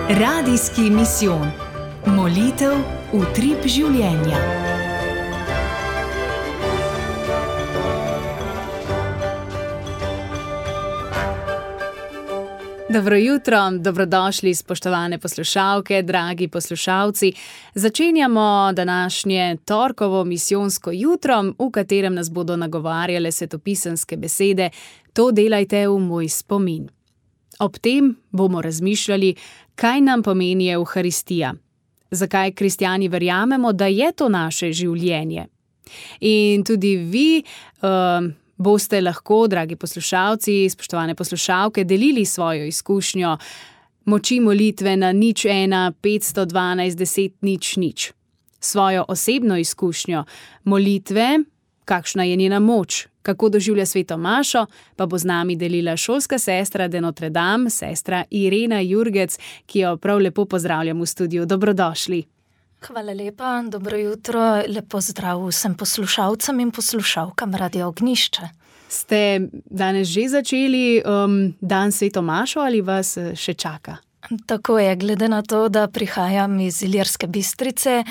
Radijski misijon. Molitev utrip življenja. Dobro jutro, dobrodošli spoštovane poslušalke, dragi poslušalci. Začenjamo današnje torkovo misijonsko jutro, v katerem nas bodo nagovarjale svetopisemske besede: To delajte v moj spomin. Ob tem bomo razmišljali, kaj nam pomeni Evharistija, zakaj kristjani verjamemo, da je to naše življenje. In tudi vi boste lahko, dragi poslušalci, spoštovane poslušalke, delili svojo izkušnjo moči molitve na 01 512 10 00. Svojo osebno izkušnjo molitve, kakšna je njena moč, kako doživlja sveto mašo, pa bo z nami delila šolska sestra de Notre Dame, sestra Irena Jurgec, ki jo prav lepo pozdravljam v studiu. Dobrodošli. Hvala lepa, dobro jutro, lepo zdrav vsem poslušalcem in poslušalkam Radia Ognjišče. Ste danes že začeli dan sveto mašo ali vas še čaka? Tako je, glede na to, da prihajam iz Ilirske Bistrice,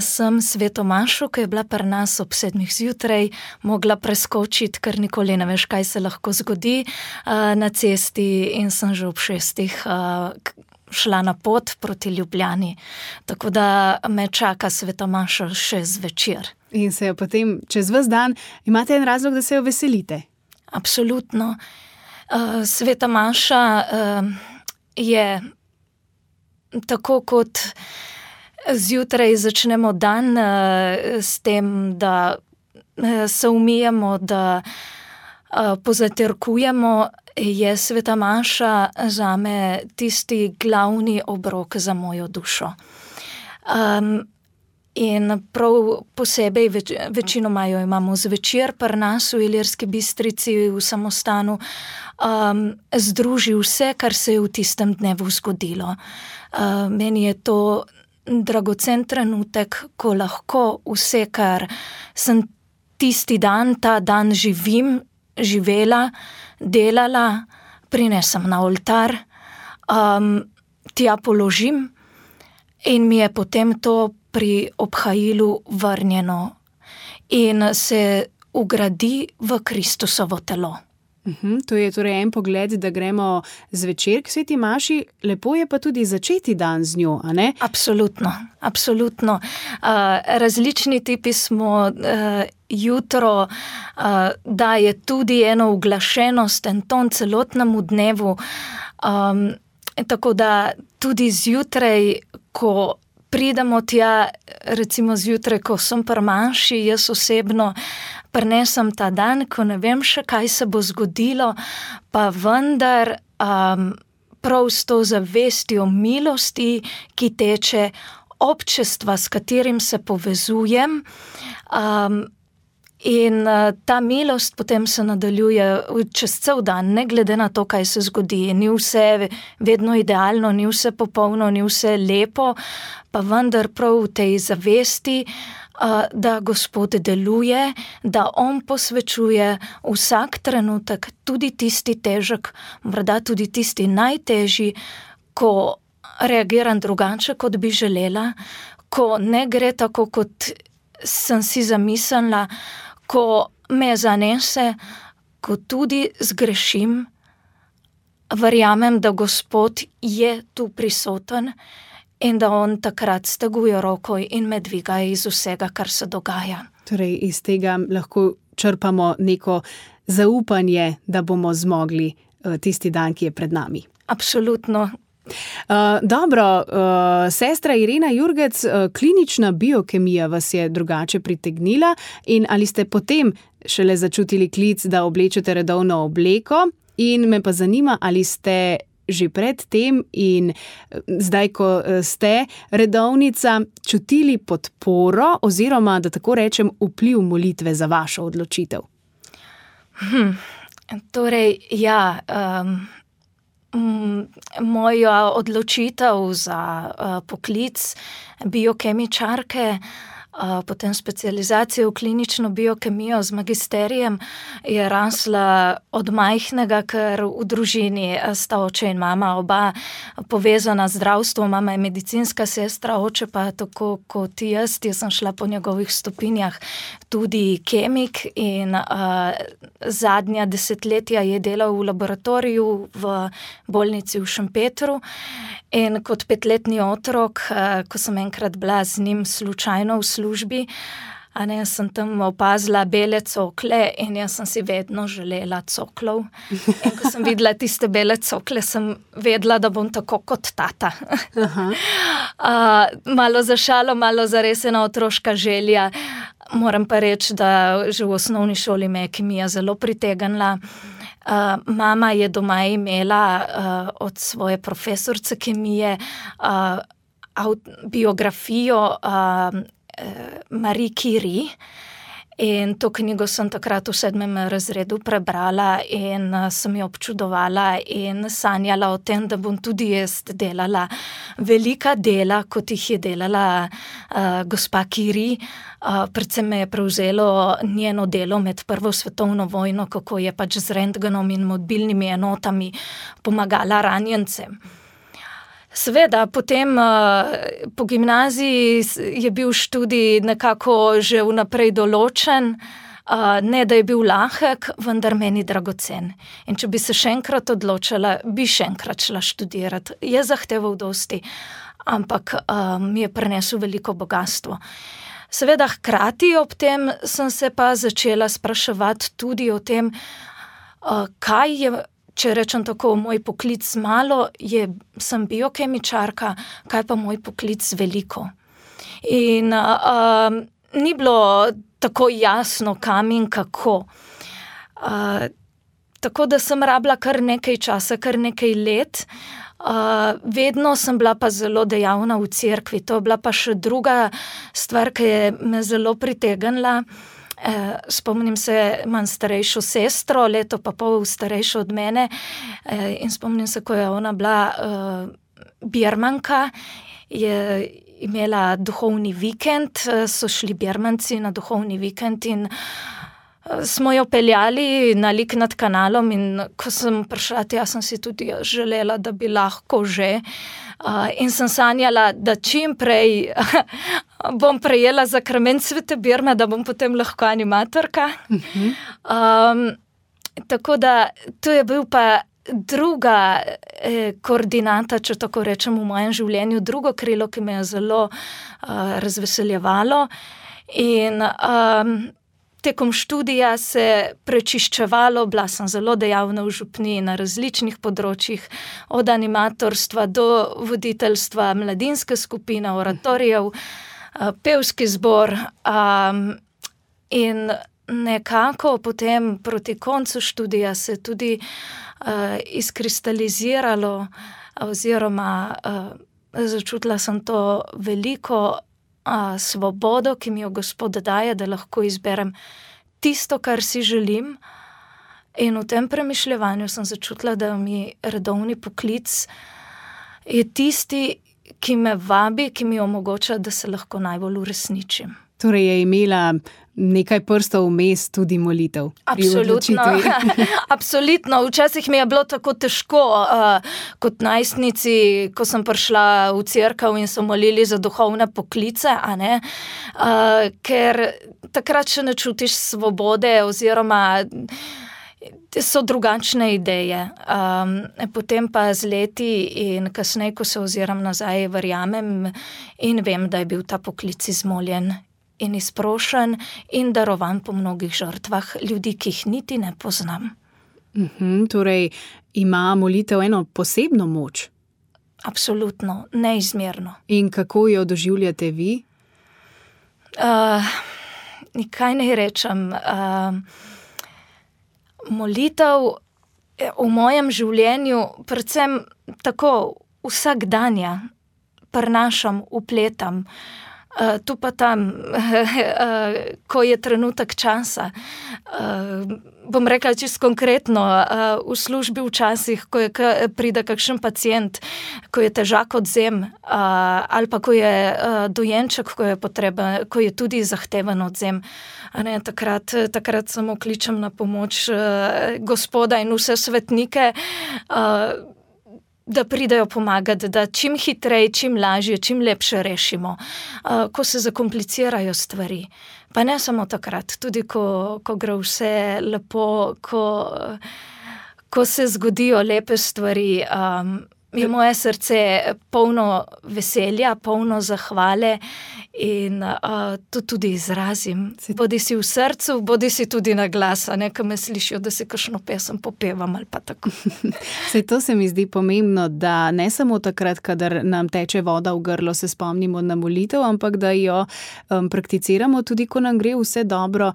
sem sveto mašo, ki je bila pri nas ob 7 zjutraj, mogla preskočiti, ker nikoli ne veš, kaj se lahko zgodi na cesti, in sem že ob 6 šla na pot proti Ljubljani. Tako da me čaka sveta maša še zvečer. In se jo potem čez ves dan, imate en razlog, da se jo veselite? Absolutno. Sveta maša je tako, kot zjutraj začnemo dan s tem, da se umijemo, da pozaterkujemo, je sveta maša zame tisti glavni obrok za mojo dušo. In prav posebej večinoma jo imamo zvečer pri nas v Ilirski Bistrici, v samostanu, združi vse, kar se je v tistem dnevu zgodilo. Meni je to dragocen trenutek, ko lahko vse, kar sem tisti dan, ta dan živela, delala, prinesem na oltar, tja položim in mi je potem to pri obhajilu vrnjeno in se ugradi v Kristusovo telo. To je torej en pogled, da gremo zvečer k sveti maši, lepo je pa tudi začeti dan z njo, a ne? Absolutno, absolutno. Različni tipi smo, jutro daje tudi eno uglašenost, en ton celotnemu dnevu, tako da tudi zjutraj, ko pridemo tja, recimo zjutraj, ko sem pri maši, jaz osebno prinesem ta dan, ko ne vem še, kaj se bo zgodilo, pa vendar prav s to zavestjo milosti, ki teče, občestva, s katerim se povezujem, in ta milost potem se nadaljuje čez cel dan, ne glede na to, kaj se zgodi. Ni vse vedno idealno, ni vse popolno, ni vse lepo, pa vendar prav v tej zavesti, da Gospod deluje, da On posvečuje vsak trenutek, tudi tisti težek, morda tudi tisti najtežji, ko reagiram drugače, kot bi želela, ko ne gre tako, kot sem si zamislila, ko me zanese, ko tudi zgrešim, verjamem, da Gospod je tu prisoten in da On takrat steguje roko in me dviga iz vsega, kar se dogaja. Torej, iz tega lahko črpamo neko zaupanje, da bomo zmogli tisti dan, ki je pred nami. Absolutno. Dobro, sestra Irena Jurgec, klinična biokemija vas je drugače pritegnila, in ali ste potem šele začutili klic, da oblečete redovno obleko, in me pa zanima, ali ste že pred tem in zdaj, ko ste redovnica, čutili podporo oziroma, da tako rečem, vpliv molitve za vašo odločitev? Torej, ja, moja odločitev za poklic biokemičarke potem specializacijo v klinično biokemijo z magisterijem, je rasla od majhnega, ker v družini sta oče in mama, oba povezana z zdravstvom. Mama je medicinska sestra, oče pa tako kot jaz sem šla po njegovih stopinjah tudi kemik in zadnja desetletja je delal v laboratoriju v bolnici v Šempetru. In kot 5-letni otrok, ko sem enkrat bila z njim slučajno v službi, sem tam opazila bele cokle in jaz sem si vedno želela coklov. In ko sem videla tiste bele cokle, sem vedela, da bom tako kot tata. Malo za šalo, malo za res ena otroška želja. Moram pa reči, da že v osnovni šoli me je kemija zelo pritegnila. Mama je doma imela od svoje profesorice kemije biografijo Marie Curie in to knjigo sem takrat v 7. razredu prebrala in sem jo občudovala in sanjala o tem, da bom tudi jaz delala velika dela, kot jih je delala gospa Curie. Predvsem me je prevzelo njeno delo med Prvo svetovno vojno, kako je pač z rentgenom in mobilnimi enotami pomagala ranjencem. Seveda, potem po gimnaziji je bil študij nekako že vnaprej določen, ne da je bil lahek, vendar meni dragocen. In če bi se še enkrat odločila, bi še enkrat šla študirati. Je zahteval dosti, ampak mi je prinesel veliko bogastvo. Seveda, hkrati ob tem sem se pa začela spraševati tudi o tem, kaj je, če rečem tako, moj poklic malo, sem biokemičarka, kaj pa moj poklic veliko. In ni bilo tako jasno, kam in kako. Tako da sem rabila kar nekaj časa, kar nekaj let. Vedno sem bila pa zelo dejavna v cerkvi. To je bila pa še druga stvar, ki je me zelo pritegnila. Spomnim se, imam starejšo sestro, leto pa pol starejšo od mene, in spomnim se, ko je ona bila birmanka, je imela duhovni vikend, so šli birmanci na duhovni vikend in smo jo peljali na Lik nad kanalom in ko sem prišla, sem si tudi želela, da bi lahko že, in sem sanjala, da čim prej bom prejela zakrament Svete Birme, da bom potem lahko animatorka. Tako da to je bil pa druga koordinata, če tako rečem, v mojem življenju, drugo krilo, ki me je zelo razveseljevalo. In tekom študija se prečiščevalo, bila sem zelo dejavna v župniji na različnih področjih, od animatorstva do voditeljstva mladinske skupine, oratorijev, pevski zbor, in nekako potem proti koncu študija se tudi izkristaliziralo oziroma začutila sem to veliko svobodo, ki mi jo Gospod daje, da lahko izberem tisto, kar si želim. In v tem premišljevanju sem začutila, da mi redovni poklic je tisti, ki me vabi, ki mi omogoča, da se lahko najbolj uresničim. Torej je imela nekaj prstov vmes tudi molitev. Absolutno. Absolutno. Včasih mi je bilo tako težko, kot najstnici, ko sem prišla v cerkev in so molili za duhovne poklice, ker takrat še ne čutiš svobode oziroma so drugačne ideje. Potem pa z leti in kasneje, ko se oziram nazaj, verjamem in vem, da je bil ta poklic izmoljen in izprošen in darovan po mnogih žrtvah ljudi, ki jih niti ne poznam. Torej ima molitev eno posebno moč? Absolutno, neizmerno. In kako jo doživljate vi? Kaj naj rečem? Molitev v mojem življenju, predvsem tako vsakdanja, prinašam, vpletam. tu pa tam, ko je trenutek časa. Bom rekla čisto konkretno, v službi včasih, ko pride kakšen pacient, ko je težak odzem, ali pa ko je dojenček, ko je potreben, ko je tudi zahteven odzem. Takrat samo kličem na pomoč Gospoda in vse svetnike, da pridejo pomagati, da čim hitreje, čim lažje, čim lepše rešimo, ko se zakomplicirajo stvari. Pa ne samo takrat, tudi ko gre vse lepo, ko se zgodijo lepe stvari, je moje srce polno veselja, polno zahvale in to tudi izrazim. Bodi si v srcu, bodi si tudi na glas, a ne, ko me slišijo, da si kakšno pesem popevam ali pa tako. Saj to se mi zdi pomembno, da ne samo takrat, kadar nam teče voda v grlo, se spomnimo na molitev, ampak da jo prakticiramo tudi, ko nam gre vse dobro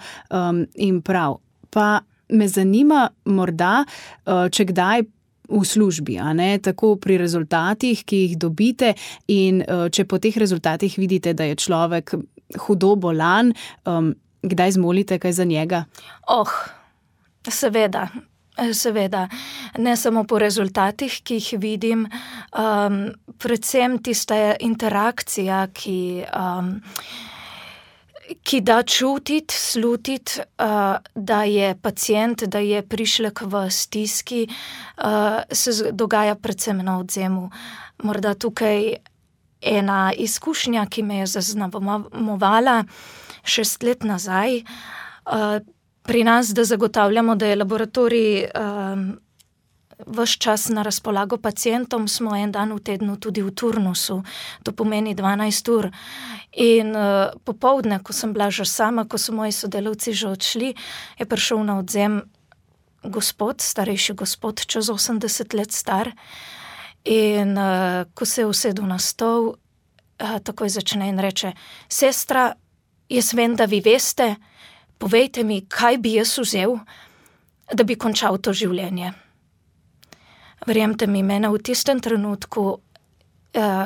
in prav. Pa me zanima morda, če kdaj v službi, a ne, tako pri rezultatih, ki jih dobite in če po teh rezultatih vidite, da je človek hudo bolan, kdaj zmolite kaj za njega? Seveda. Ne samo po rezultatih, ki jih vidim, predvsem tista interakcija, ki da čutiti, slutiti, da je pacient, da je prišlek v stiski, se dogaja predvsem na odzemu. Morda tukaj ena izkušnja, ki me je zaznamovala 6 let nazaj, pri nas, da zagotavljamo, da je laboratorij ves čas na razpolago pacientom, smo en dan v tednu tudi v turnusu, to pomeni 12 ur. In popoldne, ko sem bila že sama, ko so moji sodelavci že odšli, je prišel na odzem gospod, starejši gospod, čez 80 let star. In ko se je usedel na stol, takoj začne in reče: sestra, jaz vem, da vi veste, povejte mi, kaj bi jaz vzel, da bi končal to življenje. Verjemite mi, mene v tistem trenutku,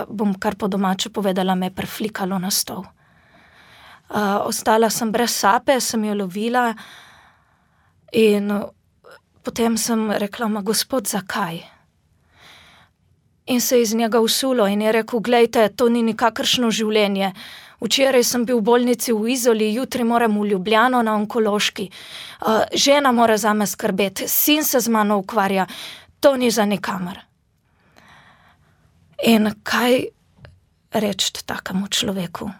bom kar po domače povedala, me je preflikalo na stol. Ostala sem brez sape, sem jo lovila in potem sem rekla: ma Gospod, zakaj? In se je iz njega usulo in je rekel: glejte, to ni nikakršno življenje. Včeraj sem bil v bolnici v Izoli, jutri moram v Ljubljano na onkološki. Žena mora zame skrbeti, sin se z mano ukvarja. To ni za nikamor. In kaj reči takemu človeku?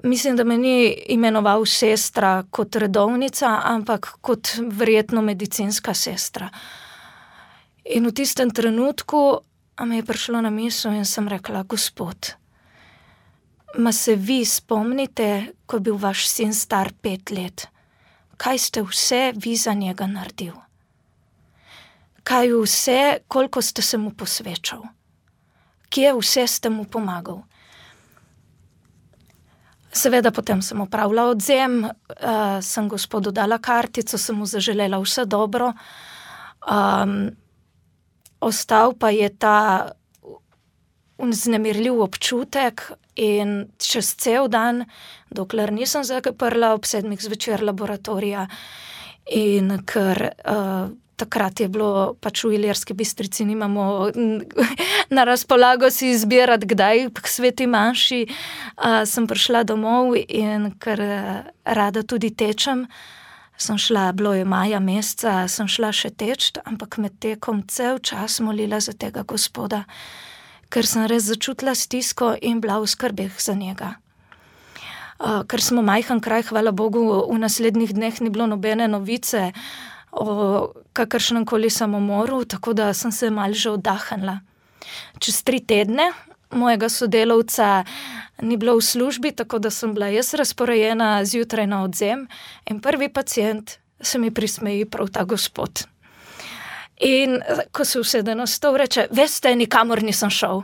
Mislim, da me ni imenoval sestra kot redovnica, ampak kot verjetno medicinska sestra. In v tistem trenutku mi je prišlo na misel in sem rekla: Gospod, ma se vi spomnite, ko je bil vaš sin star 5 let? Kaj ste vse vi za njega naredil? Kaj vse, koliko ste se mu posvečal? Kje vse ste mu pomagal? Seveda potem sem opravila odzem, sem Gospodu dala kartico, sem mu zaželela vse dobro. Ostal pa je ta vznemirljiv občutek in čez cel dan, dokler nisem zaprla ob 7 zvečer laboratorija, in ker takrat je bilo, pač v Ilirski Bistrici nimamo na razpolago si izbirati, kdaj k sveti maši, sem prišla domov in ker rada tudi tečem, sem šla, bilo je maja meseca, sem šla še teč, ampak med tekom cel čas molila za tega Gospoda, ker sem res začutila stisko in bila v skrbeh za njega. Ker smo majhen kraj, hvala Bogu, v naslednjih dneh ni bilo nobene novice o kakršnem koli samomoru, tako da sem se malo že oddahnila. Čez 3 tedne mojega sodelavca ni bilo v službi, tako da sem bila jaz razporejena zjutraj na odzem in prvi pacient se mi prismeji prav ta gospod. In ko se usede na stol, reče: veste, nikamor nisem šel.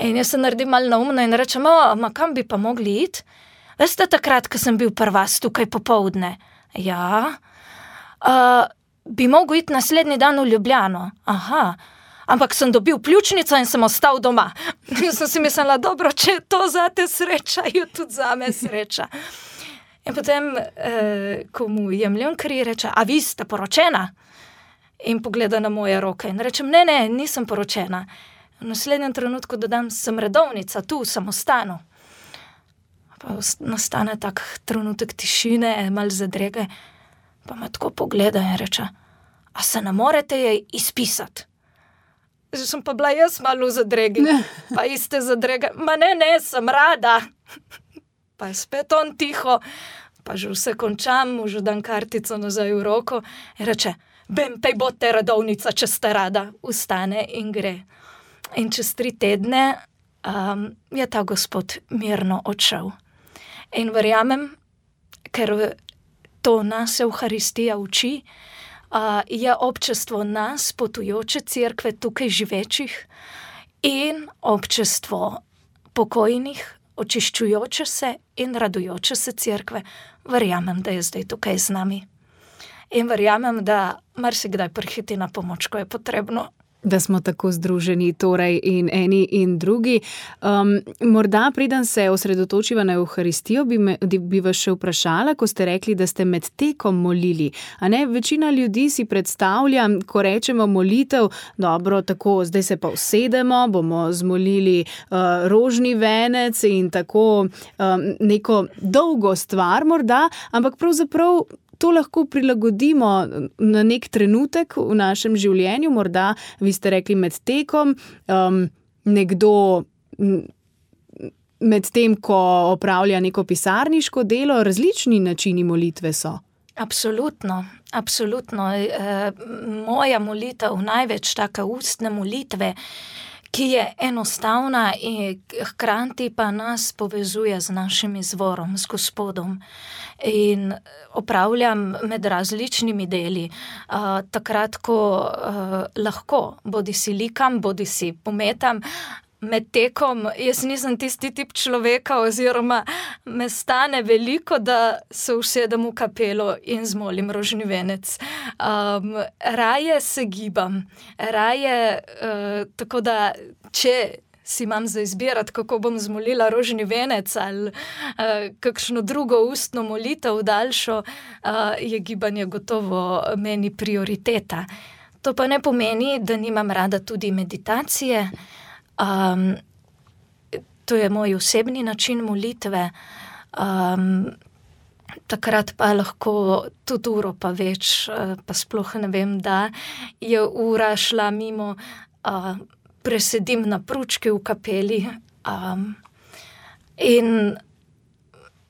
In jaz se naredim malo neumna in rečem: ma kam bi pa mogli iti? Veste, takrat, ko sem bil pri vas tukaj popoldne? Ja. Bi mogel iti naslednji dan v Ljubljano? Aha. Ampak sem dobil pljučnico in sem ostal doma. In sem si mislila, dobro, če je to zate sreča, je tudi zame sreča. In potem, ko mu jemljem kri, reče, a vi ste poročena? In pogleda na moje roke in rečem, ne, nisem poročena. V naslednjem trenutku dodam, sem redovnica, tu, v samostanu. Pa nastane tak trenutek tišine, malo zadrege, pa me tako pogleda in reče, a se ne morete jej izpisati? Že sem pa bila jaz malo v zadregi, pa iste zadrege, ma ne, sem rada. Pa je spet on tiho, pa že vse končam, mu že dam kartico nazaj v roko in reče, bem, pej bote redovnica, če ste rada. Vstane in gre. In čez 3 tedne je ta gospod mirno odšel. In verjamem, ker to nas Evharistija uči, je občestvo nas, potujoče cerkve, tukaj živečih, in občestvo pokojnih, očiščujoče se in radujoče se cerkve. Verjamem, da je zdaj tukaj z nami. In verjamem, da marsikdaj prihiti na pomoč, ko je potrebno. Da smo tako združeni, torej in eni in drugi. Morda, preden se osredotočiva na Evharistijo, bi vas še vprašala, ko ste rekli, da ste med tekom molili. A ne, večina ljudi si predstavlja, ko rečemo molitev, dobro, tako, zdaj se pa usedemo, bomo zmolili rožni venec in tako neko dolgo stvar morda, ampak pravzaprav to lahko prilagodimo na nek trenutek v našem življenju, morda, vi ste rekli, med tekom, nekdo med tem, ko opravlja neko pisarniško delo, različni načini molitve so. Absolutno. Moja molitev, največ taka ustne molitve, ki je enostavna in hkrati pa nas povezuje z našim izvorom, z Gospodom. In opravljam med različnimi deli. Takrat, ko lahko, bodisi likam, bodisi pometam, med tekom, jaz nisem tisti tip človeka oziroma me stane veliko, da se usedem v kapelo in zmolim rožni venec. Raje se gibam, tako da, če si imam za izbirati, kako bom zmolila rožni venec ali kakšno drugo ustno molitev daljšo, je gibanje gotovo meni prioriteta. To pa ne pomeni, da nimam rada tudi meditacije. To je moj osebni način molitve. Takrat pa lahko tudi uro pa več, pa sploh ne vem, da je ura šla mimo, presedim na pručki v kapeli. In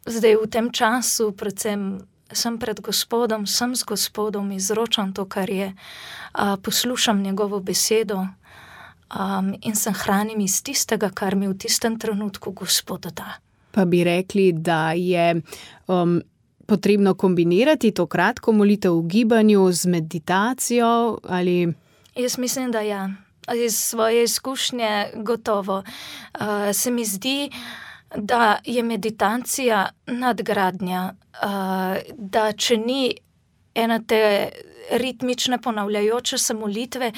zdaj v tem času, predvsem sem pred Gospodom, sem z Gospodom, izročam to, kar je, poslušam njegovo besedo, in se hranim iz tistega, kar mi v tistem trenutku Gospod da. Pa bi rekli, da je potrebno kombinirati to kratko molitev v gibanju z meditacijo ali... Jaz mislim, da ja. Iz svoje izkušnje gotovo. Se mi zdi, da je meditacija nadgradnja, da če ni ena te ritmične ponavljajoče se molitve,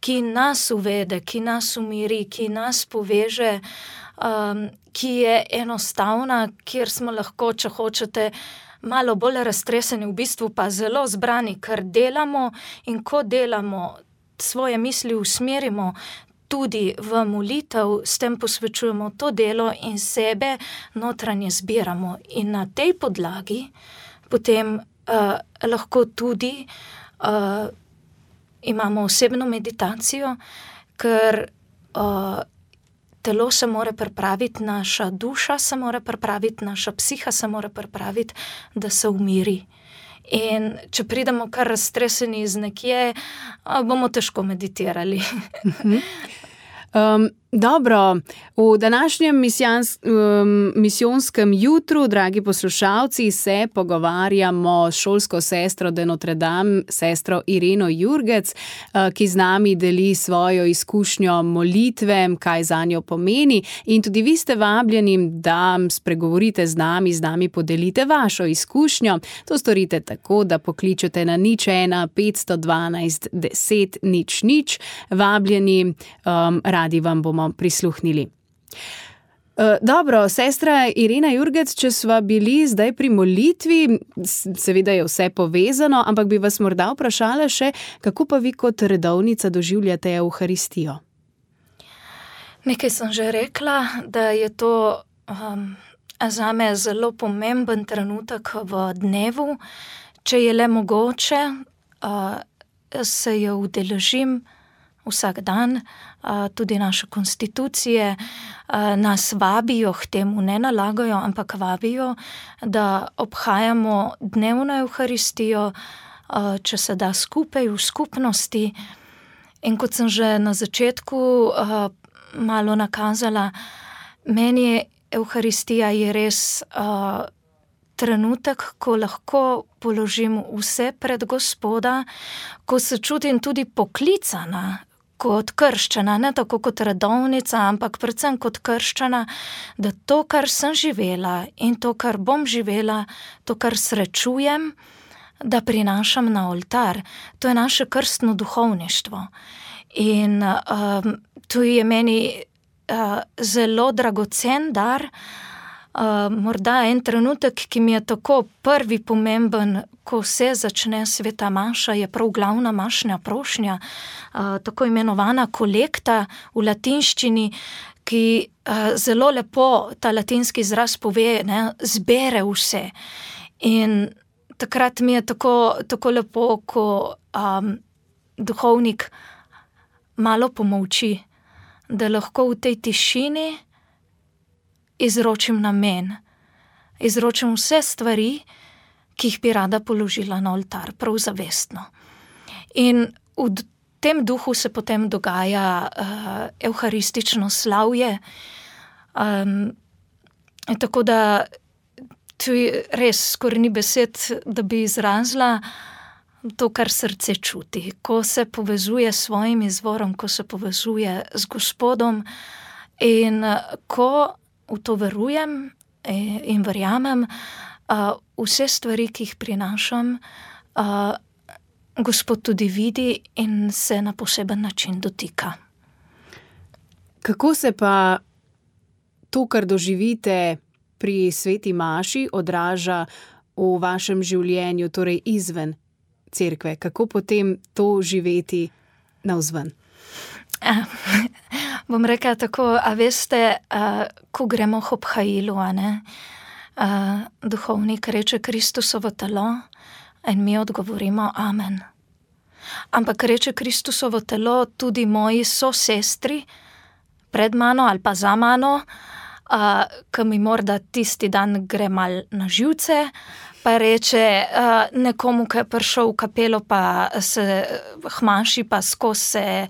ki nas uvede, ki nas umiri, ki nas poveže, ki je enostavna, kjer smo lahko, če hočete, malo bolj raztreseni, v bistvu pa zelo zbrani, ker delamo, in ko delamo, svoje misli usmerimo tudi v molitev, s tem posvečujemo to delo in sebe notranje zbiramo. In na tej podlagi potem lahko tudi imamo osebno meditacijo, ker telo se mora pripraviti, naša duša se mora pripraviti, naša psiha se mora pripraviti, da se umiri. In če pridemo kar raztreseni iz nekje, bomo težko meditirali. Dobro, v današnjem misijonskem jutru, dragi poslušalci, se pogovarjamo s šolsko sestro de Notre Dame, sestro Ireno Jurgec, ki z nami deli svojo izkušnjo molitve, kaj zanjo pomeni, in tudi vi ste vabljeni, da spregovorite z nami podelite vašo izkušnjo. To storite tako, da pokličete na 01 512 10 00. Vabljeni, radi vam bomo prisluhnili. Dobro, sestra Irena Jurgec, če sva bili zdaj pri molitvi, seveda je vse povezano, ampak bi vas morda vprašala še, kako pa vi kot redovnica doživljate Evharistijo? Nekaj sem že rekla, da je to zame zelo pomemben trenutek v dnevu. Če je le mogoče, se jo udeležim vsak dan, tudi naše konstitucije nas vabijo k temu, ne nalagajo, ampak vabijo, da obhajamo dnevno Evharistijo, če se da skupaj v skupnosti. In kot sem že na začetku malo nakazala, meni Evharistija je res trenutek, ko lahko položim vse pred Gospoda, ko se čutim tudi poklicana kot krščana, ne tako kot redovnica, ampak predvsem kot krščana, da to, kar sem živela in to, kar bom živela, to, kar srečujem, da prinašam na oltar. To je naše krstno duhovništvo. In to je meni zelo dragocen dar. Morda en trenutek, ki mi je tako prvi pomemben, ko se začne sveta maša, je prav glavna mašna prošnja, tako imenovana kolekta v latinščini, ki zelo lepo ta latinski izraz pove, ne, zbere vse. In takrat mi je tako lepo, ko duhovnik malo pomolči, da lahko v tej tišini izročim namen, izročim vse stvari, ki jih bi rada položila na oltar, prav zavestno. In v tem duhu se potem dogaja evharistično slavje. Tako da tu res skoraj ni besed, da bi izrazila to, kar srce čuti, ko se povezuje s svojim izvorom, ko se povezuje z Gospodom in ko v to verujem in verjamem, vse stvari, ki jih prinašam, Gospod tudi vidi in se na poseben način dotika. Kako se pa to, kar doživite pri sveti maši, odraža v vašem življenju, torej izven cerkve? Kako potem to živeti navzven? Bom rekla tako, a veste, ko gremo k obhajilu, duhovnik reče Kristusovo telo in mi odgovorimo amen. Ampak reče Kristusovo telo tudi moji sosestri pred mano ali pa za mano, ki mi morda tisti dan gre mal na živce, pa reče nekomu, ki je prišel v kapelo, pa se hmaši, pa skozi se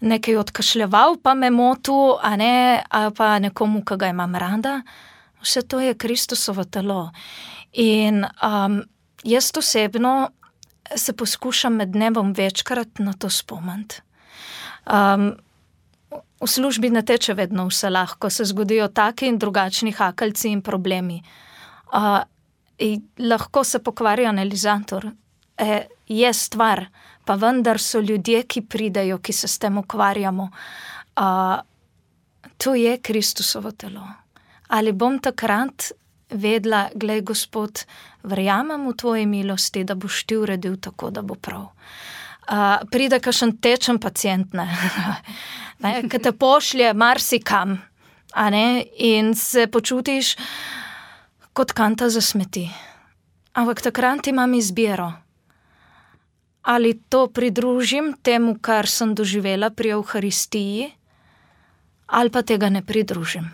nekaj odkašljeval, pa me motil, ali pa nekomu, ki ga imam rada. Vse to je Kristusovo telo. In jaz osebno se poskušam med dnevom večkrat na to spomniti. V službi ne teče vedno vse lahko, se zgodijo taki in drugačni hakeljci in problemi. Lahko se pokvari analizator, je stvar, pa vendar so ljudje, ki pridejo, ki se s tem ukvarjamo. To je Kristusovo telo. Ali bom takrat vedela, glej, Gospod, verjamem v tvoji milosti, da boš ti uredil tako, da bo prav. Pride kakšen tečen pacient, ki te pošlje marsikam, in se počutiš kot kanta za smeti. Ampak takrat imam izbiro. Ali to pridružim temu, kar sem doživela pri Evharistiji, ali pa tega ne pridružim.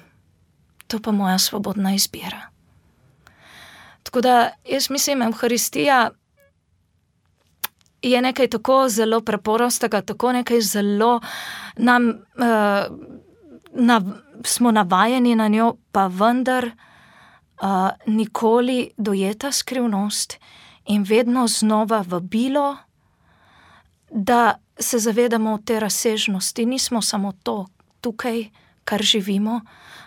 To pa moja svobodna izbira. Tako da jaz mislim, Evharistija je nekaj tako zelo preprostega, tako nekaj zelo nam smo navajeni na njo, pa vendar nikoli dojeta skrivnost in vedno znova vabilo, da se zavedamo te razsežnosti. Nismo samo to tukaj, kar živimo,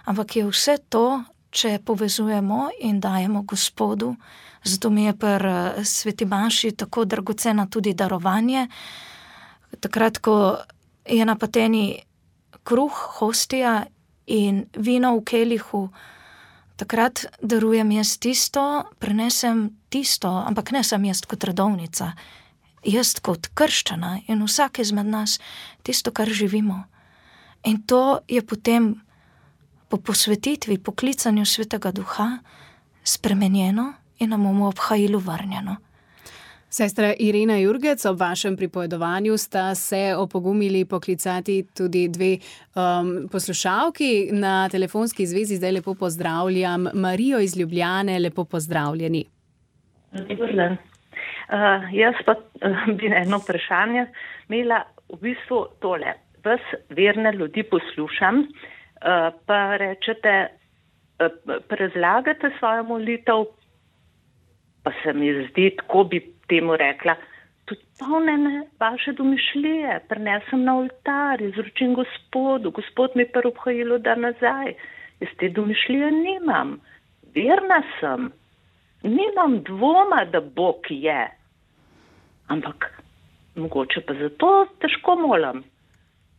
ampak je vse to, če povezujemo in dajemo Gospodu. Zato mi je pri sveti maši tako dragocena tudi darovanje. Takrat, ko je na pateni kruh, hostija in vino v kelihu, takrat darujem jaz tisto, prinesem tisto, ampak ne sem jaz kot redovnica, jaz kot krščana in vsak izmed nas tisto, kar živimo. In to je potem po posvetitvi, po klicanju Svetega Duha spremenjeno in nam bomo obhajilu vrnjeno. Sestra Irena Jurgec, ob vašem pripovedovanju sta se opogumili poklicati tudi dve poslušalki. Na telefonski zvezi zdaj lepo pozdravljam Marijo iz Ljubljane, lepo pozdravljeni. Dober dan. Jaz pa bi eno vprašanje imela v bistvu tole. Vas verne ljudi poslušam, pa rečete, razlagate svojo molitev, pa se mi zdi, tako bi temu rekla, tudi polnene vaše domišljije, prinesem na oltar, izročim Gospodu, Gospod mi pa obhajilo da nazaj. Jaz te domišljije nimam, verna sem, nimam dvoma, da Bog je, ampak mogoče pa zato težko molim.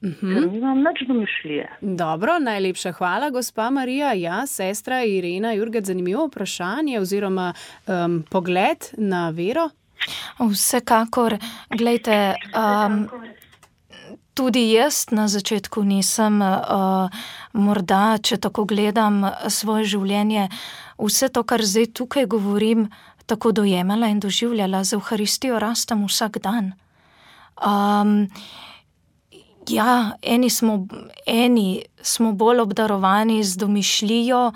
Ker nimam nič domišljije. Dobro, najlepša hvala, gospa Marija. Ja, sestra Irena Jurgec, zanimivo vprašanje oziroma pogled na vero? Vsekakor, glejte, tudi jaz na začetku nisem, morda, če tako gledam svoje življenje, vse to, kar zdaj tukaj govorim, tako dojemala in doživljala. Z Evharistijo rastem vsak dan. Ja, eni smo bolj obdarovani z domišljijo,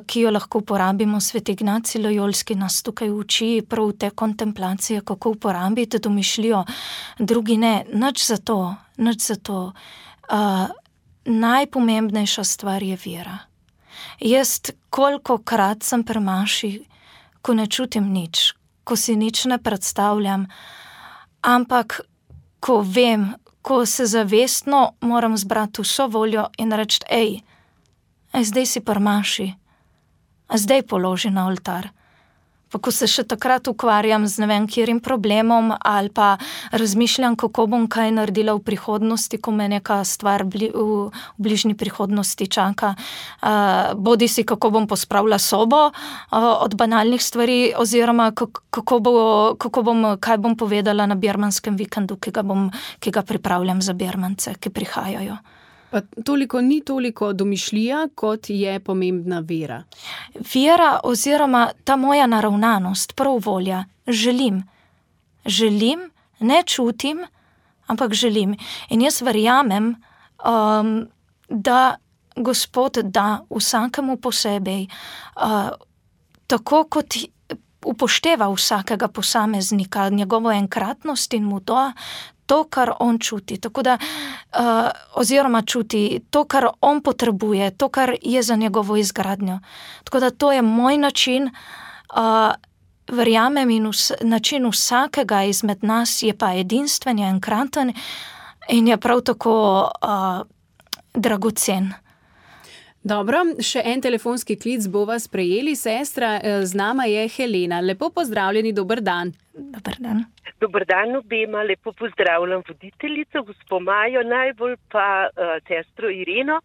ki jo lahko uporabimo. Sveti Ignacij Lojolski nas tukaj uči prav te kontemplacije, kako uporabiti domišljijo. Drugi ne, nič za to. Najpomembnejša stvar je vera. Jaz kolikokrat sem pri maši, ko ne čutim nič, ko si nič ne predstavljam, ampak ko vem, ko se zavestno moram zbrati vso voljo in reči, zdaj si pri maši, zdaj položi na oltar. Pa ko se še takrat ukvarjam z ne vem kjerim problemom ali pa razmišljam, kako bom kaj naredila v prihodnosti, ko me neka stvar v bližnji prihodnosti čaka. Bodi si, kako bom pospravila sobo od banalnih stvari oziroma kaj bom povedala na birmanskem vikendu, ki ga pripravljam za birmance, ki prihajajo. Pa ni toliko domišljija, kot je pomembna vera. Vera oziroma ta moja naravnanost, prav volja, želim, ne čutim, ampak želim. In jaz verjamem, da Gospod da vsakemu posebej, tako kot upošteva vsakega posameznika, njegovo enkratnost in mu da to, kar on čuti, tako da, oziroma čuti to, kar on potrebuje, to, kar je za njegovo izgradnjo. Tako da to je moj način, verjamem, in način vsakega izmed nas je pa edinstven, je enkraten in je prav tako dragocen. Dobro, še en telefonski klic bova sprejeli, sestra, z nama je Helena. Lepo pozdravljeni, dober dan. Dober dan. Dober dan obema, lepo pozdravljam voditeljico, gospo Majo, najbolj pa sestro Ireno,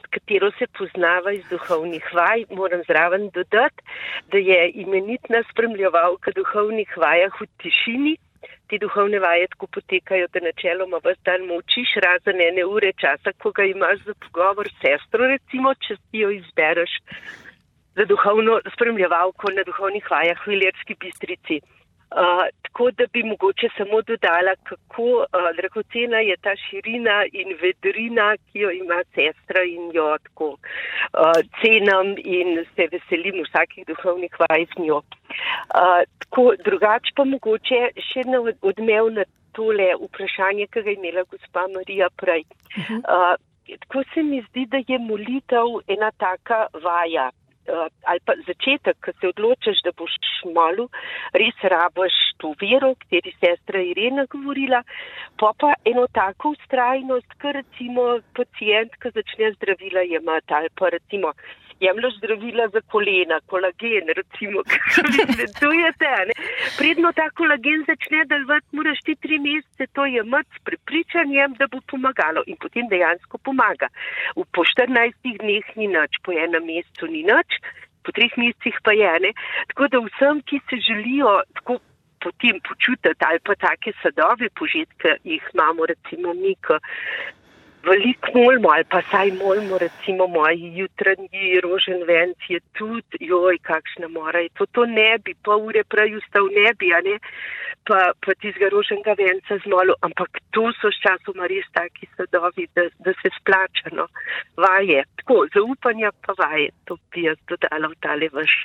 katero se poznava iz duhovnih vaj. Moram zraven dodati, da je imenitna spremljevalka duhovnih vajah v tišini. Te duhovne vaje tako potekajo, da načeloma ves dan molčiš, razen 1 ure časa, ko ga imaš za pogovor s sestro, recimo, če jo izbereš za duhovno spremljevalko na duhovnih vajah v Ilirski Bistrici. Tako da bi mogoče samo dodala, kako dragocena je ta širina in vedrina, ki jo ima sestra in jo tako cenim in se veselim vsakih duhovnih vaj z njo. Tako drugače pa mogoče še odmev na tole vprašanje, ki ga je imela gospa Marija prej. Tako se mi zdi, da je molitev ena taka vaja, ali pa začetek, ko se odločiš, da boš molil, res rabiš to vero, o kateri sestra Irena govorila, pa eno tako vztrajnost, ko recimo pacient, ko začne zdravila jemati, ali pa recimo jemlješ zdravila za kolena, kolagen, recimo, kako vi sledujete, ne? Predno ta kolagen začne delovati, moraš ti 3 mesece to jemati s prepričanjem, da bo pomagalo in potem dejansko pomaga. Po 14 dneh ni nič, po 1 mesecu ni nič, po 3 mesecih pa je, ne? Tako da vsem, ki se želijo tako potem počutiti ali pa take sadove požitke, jih imamo recimo mi, veliko molimo ali pa saj molimo, recimo moji jutranji rožen venc je tudi, joj, kakšna mora je to ne bi, pol ure prej vstal ne bi, a ne, pa tizga roženega venca zmolil, ampak to so s časoma res taki sadovi, da se splača, no, vaje, tako, zaupanja pa vaje, to bi jaz dodala v tale vaš.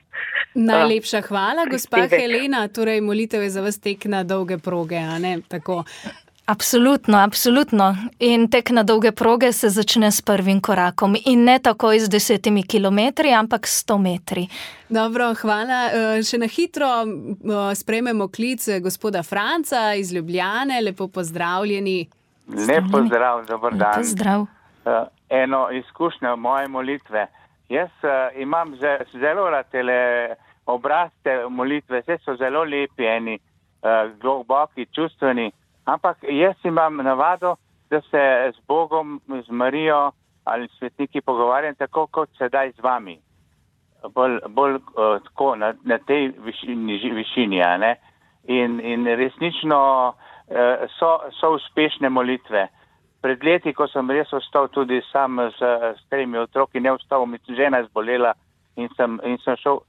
Najlepša hvala, gospa Helena, torej molitev je za vas tek na dolge proge, a ne, tako. Absolutno, absolutno. In tek na dolge proge se začne s prvim korakom in ne takoj z 10 kilometri, ampak 100 metri. Dobro, hvala. Še na hitro sprejmemo klic gospoda Franca iz Ljubljane. Lepo pozdravljeni. Lep pozdrav, dober dan. Lep pozdrav. Eno izkušnjo moje molitve. Jaz imam zelo rad tele obrazce molitve, vse so zelo lepi, eni globoki, čustveni. Ampak jaz imam navado, da se z Bogom, z Marijo ali svetniki pogovarjam tako, kot sedaj z vami. Bolj tako na tej višini, a ne? In resnično so uspešne molitve. Pred leti, ko sem res ostal tudi sam s 3 otroki, ne ostal, mi žena zbolela in sem šel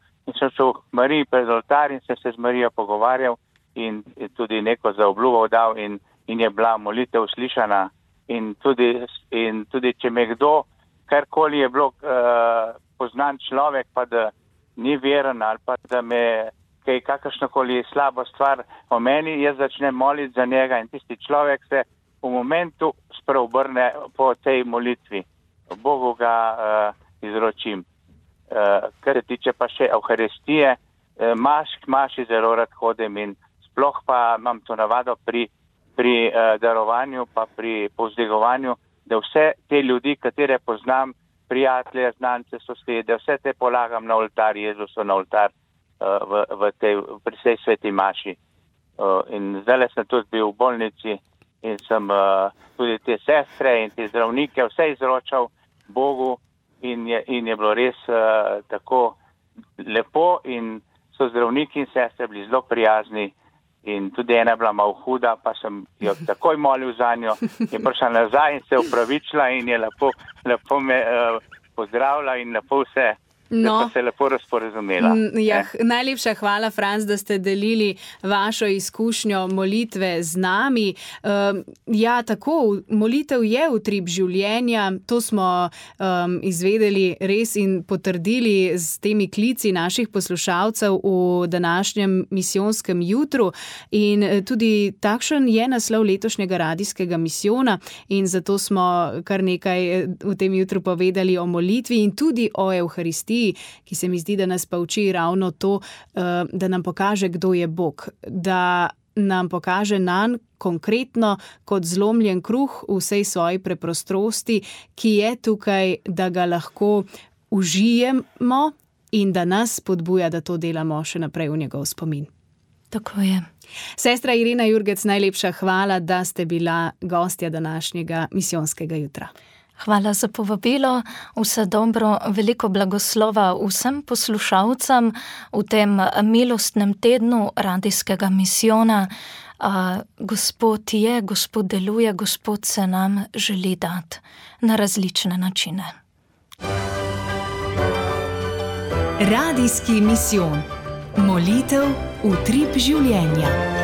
k Mariji pred oltar in sem se z Marijo pogovarjal. In tudi neko zaobljubo dal in je bila molitev slišana in tudi če me kdo, karkoli je bilo poznan človek, pa da ni veren ali pa da me kaj kakršnokoli slabo stvar o meni, jaz začnem moliti za njega in tisti človek se v momentu spreobrne po tej molitvi. Bogu ga izročim. Kar se tiče pa še Evharistije, maši zelo rad hodim in sploh pa imam to navado pri darovanju pa pri povzdigovanju, da vse te ljudi, katere poznam, prijatelje, znance, sosede, vse te polagam na oltar, Jezusu na oltar pri tej sveti maši. In zdaj sem tudi bil v bolnici in sem tudi te sestre in te zdravnike vse izročal Bogu in je bilo res tako lepo in so zdravniki in sestre bili zelo prijazni. In tudi ena je bila malo huda, pa sem jo takoj molil za njo in prišla nazaj in se opravičila in je lepo me pozdravila in lepo vse. No. Da so se lepo razporazumela. Najlepša hvala, Franc, da ste delili vašo izkušnjo molitve z nami. Tako, molitev je utrip življenja, to smo izvedeli res in potrdili z temi klici naših poslušalcev v današnjem misijonskem jutru. In tudi takšen je naslov letošnjega radijskega misijona in zato smo kar nekaj v tem jutru povedali o molitvi in tudi o Evharistiji, ki se mi zdi, da nas pa uči ravno to, da nam pokaže, kdo je Bog, da nam pokaže nanj konkretno kot zlomljen kruh v vsej svoji preprostrosti, ki je tukaj, da ga lahko užijemo in da nas spodbuja, da to delamo še naprej v njegov spomin. Tako je. Sestra Irena Jurgec, najlepša hvala, da ste bila gostja današnjega misijonskega jutra. Hvala za povabilo, vse dobro, veliko blagoslova vsem poslušalcem v tem milostnem tednu radijskega misijona. Gospod je, Gospod deluje, Gospod se nam želi dati na različne načine. Radijski misijon. Molitev, utrip življenja.